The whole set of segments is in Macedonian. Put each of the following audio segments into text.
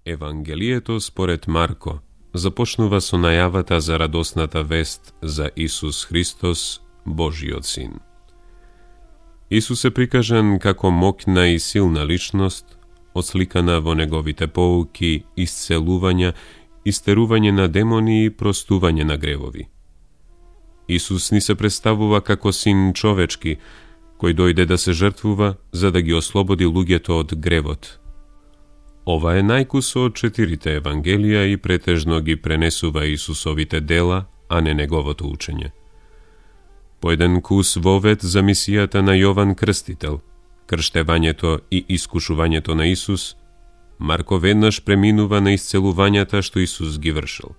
Евангелието според Марко започнува со најавата за радосната вест за Исус Христос, Божиот Син. Исус е прикажан како моќна и силна личност, отсликана во неговите поуки, исцелувања, истерување на демони и простување на гревови. Исус ни се представува како син човечки, кој дојде да се жртвува за да ги ослободи луѓето од гревот. Ова е најкус од 4 Евангелија и претежно ги пренесува Исусовите дела, а не неговото учење. По еден кус вовед за мисијата на Јован Крстител, крштевањето и искушувањето на Исус, Марко веднаш преминува на исцелувањата што Исус ги вршил.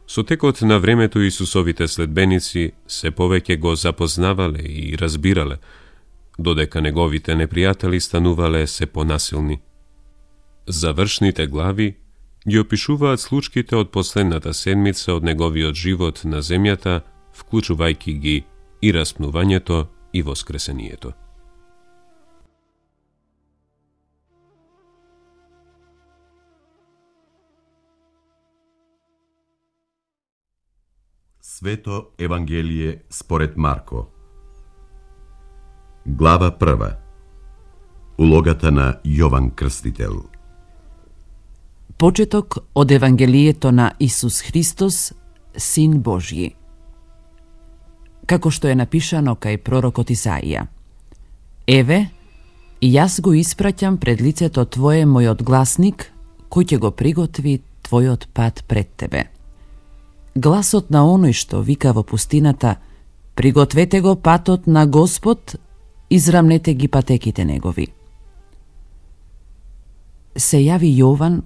Со текот на времето Исусовите следбеници се повеќе го запознавале и разбирале, додека неговите непријатели станувале се понасилни. Завршните глави ги опишуваат случките од последната седмица од неговиот живот на земјата, вклучувајќи ги и распнувањето и воскресението. Свето Евангелие според Марко. Глава 1. Улогата на Јован Крстител. Почеток од Евангелието на Исус Христос, Син Божји. Како што е напишано кај пророкот Исаија: Еве, јас го испраќам пред лицето Твое мојот гласник, кој ќе го приготви Твојот пат пред Тебе. Гласот на оној што вика во пустината: пригответе го патот на Господ, израмнете ги патеките негови. Се јави Јован,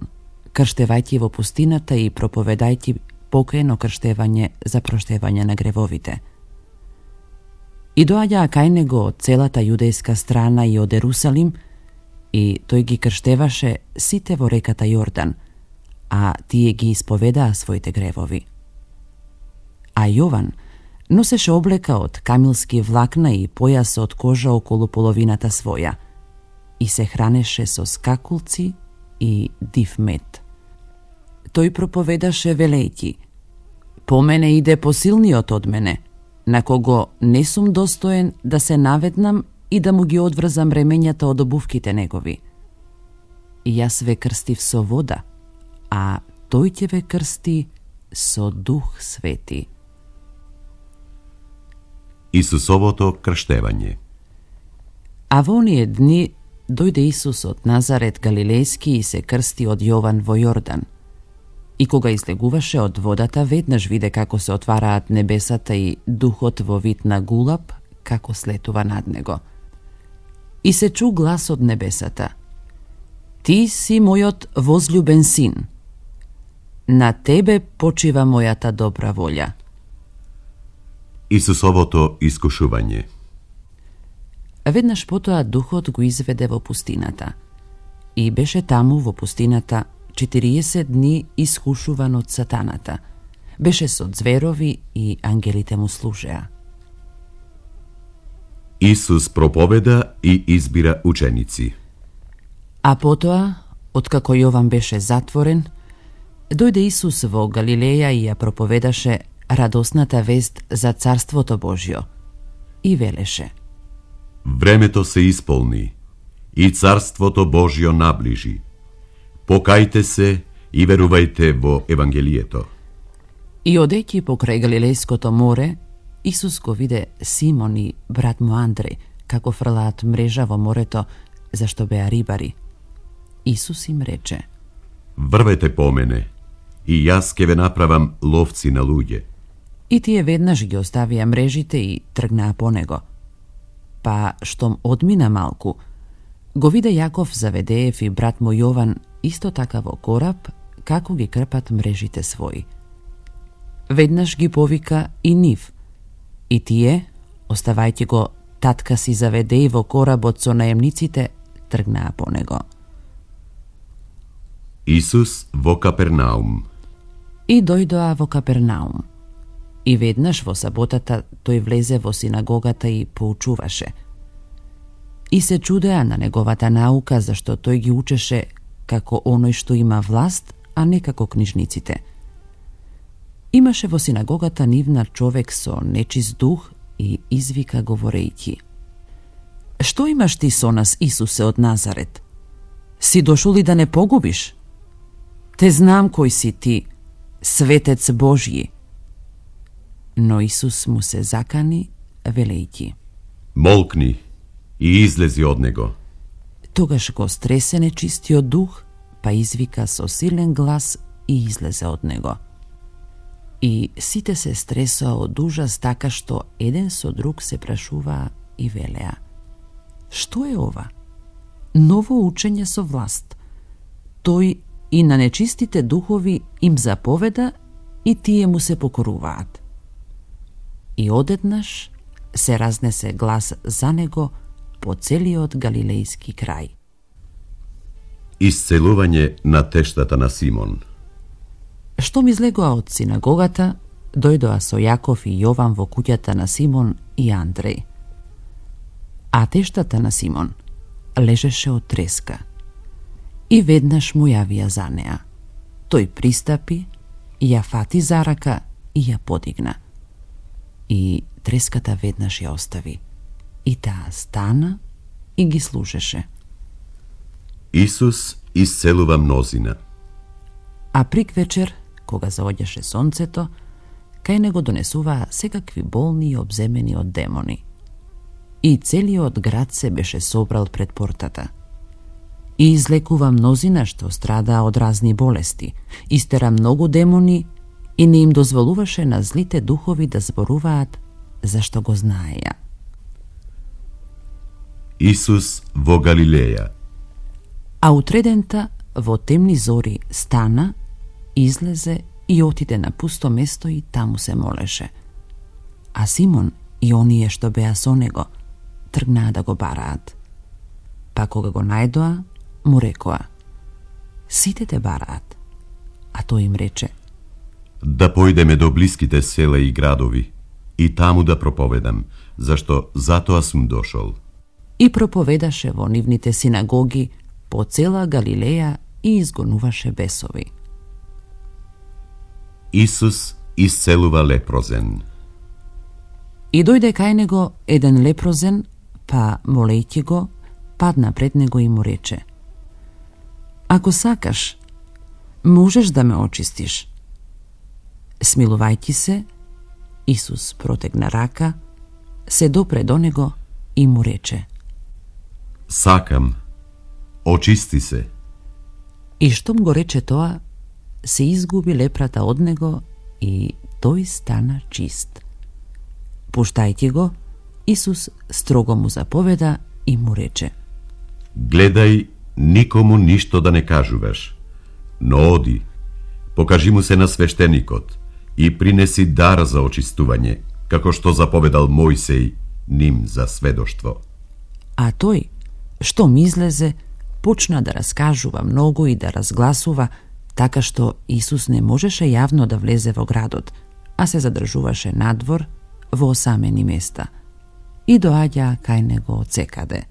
крштевајќи во пустината и проповедајќи покајно крштевање за проштевање на гревовите. И доаѓаа кај него од целата јудејска страна и од Ерусалим, и тој ги крштеваше сите во реката Јордан, а тие ги исповедаа своите гревови. А Јован носеше облека од камилски влакна и појас од кожа околу половината своја и се хранеше со скакулци и див мед. Тој проповедаше велејќи: по мене иде посилниот од мене, на кого не сум достоен да се наведнам и да му ги одврзам ремењата од обувките негови. И јас ве крстив со вода, а тој ќе ве крсти со Дух Свети. Исусовото крштевање. А во оние дни дојде Исус од Назарет Галилејски и се крсти од Јован во Јордан. И кога излегуваше од водата, веднаш виде како се отвараат небесата и Духот во вид на гулаб, како слетува над него. И се чу глас од небесата: Ти си мојот возљубен син. На тебе почива мојата добра волја. Исусовото искушување. Веднаш потоа Духот го изведе во пустината. И беше таму во пустината 40 дни искушуван од сатаната. Беше со зверови и ангелите му служеа. Исус проповеда и избира ученици. А потоа, откако Јован беше затворен, дојде Исус во Галилеја и ја проповедаше радосната вест за Царството Божјо и велеше: Времето се исполни и Царството Божјо наближи. Покајте се и верувајте во Евангелието. И одејќи покрај Галилејското море, Исус го виде Симон и брат му Андреј како фрлаат мрежа во морето, зашто беа рибари. Исус им рече: Врвете по мене, и јас ќе ве направам ловци на луѓе. И тие веднаш ги оставија мрежите и тргнаа по него. Па, штом одмина малку, го виде Јаков Заведеев и брат му Јован исто така во кораб, како ги крпат мрежите своји. Веднаш ги повика и нив, и тие, оставајќи го татка си Заведеј во коработ со наемниците, тргнаа по него. Исус во Капернаум. И дојдоа во Капернаум. И веднаш во саботата тој влезе во синагогата и поучуваше. И се чудеа на неговата наука, зашто тој ги учеше како оној што има власт, а не како книжниците. Имаше во синагогата нивна човек со нечист дух и извика говорејќи: Што имаш ти со нас, Исусе од Назарет? Си дошол ли да не погубиш? Те знам кој си ти, светец Божји. Но Исус му се закани, велејќи: Молкни и излези од него. Тогаш го стресе нечистиот дух, па извика со силен глас и излезе од него. И сите се стресоа од ужас, така што еден со друг се прашуваа и велеа: Што е ова? Ново учење со власт. Тој и на нечистите духови им заповеда и тие му се покоруваат. И одеднаш се разнесе глас за него по целиот галилејски крај. Исцелување на тештата на Симон. Штом излегоа од синагогата, дојдоа со Јаков и Јован во куќата на Симон и Андреј. А тештата на Симон лежеше од треска. И веднаш му јавија за неа. Тој пристапи, ја фати за рака и ја подигна. И треската веднаш ја остави. И таа стана и ги слушаше. Исус исцелува мнозина. А приквечер, кога заоѓаше сонцето, кај него донесуваа секакви болни и обземени од демони. И целиот град се беше собрал пред портата. И излекува мнозина што страдаа од разни болести, истера многу демони и не им дозволуваше на злите духови да зборуваат зашто го знаеја. Исус во Галилеја. А утредента во темни зори стана, излезе и отиде на пусто место и таму се молеше. А Симон и оние што беа со него тргнаа да го бараат. Па кога го најдоа, му рекоа: Сите те бараат. А тој им рече: Да појдеме до блиските села и градови и таму да проповедам, зашто затоа сум дошол. И проповедаше во нивните синагоги по цела Галилеја и изгонуваше бесови. Исус исцелува лепрозен. И дојде кај него еден лепрозен, па молејќи го, падна пред него и му рече: Ако сакаш, можеш да ме очистиш. Смилувајќи се, Исус протегна рака, се допре до него и му рече: Сакам, очисти се. И штом го рече тоа, се изгуби лепрата од него и тој стана чист. Пуштајќи го, Исус строго му заповеда и му рече: Гледај, никому ништо да не кажуваш, но оди, покажи му се на свештеникот и принеси дар за очистување, како што заповедал Мојсеј ним за сведоштво. А тој, штом излезе, почна да раскажува многу и да разгласува, така што Исус не можеше јавно да влезе во градот, а се задржуваше надвор во осамени места. И доаѓа кај него од секаде.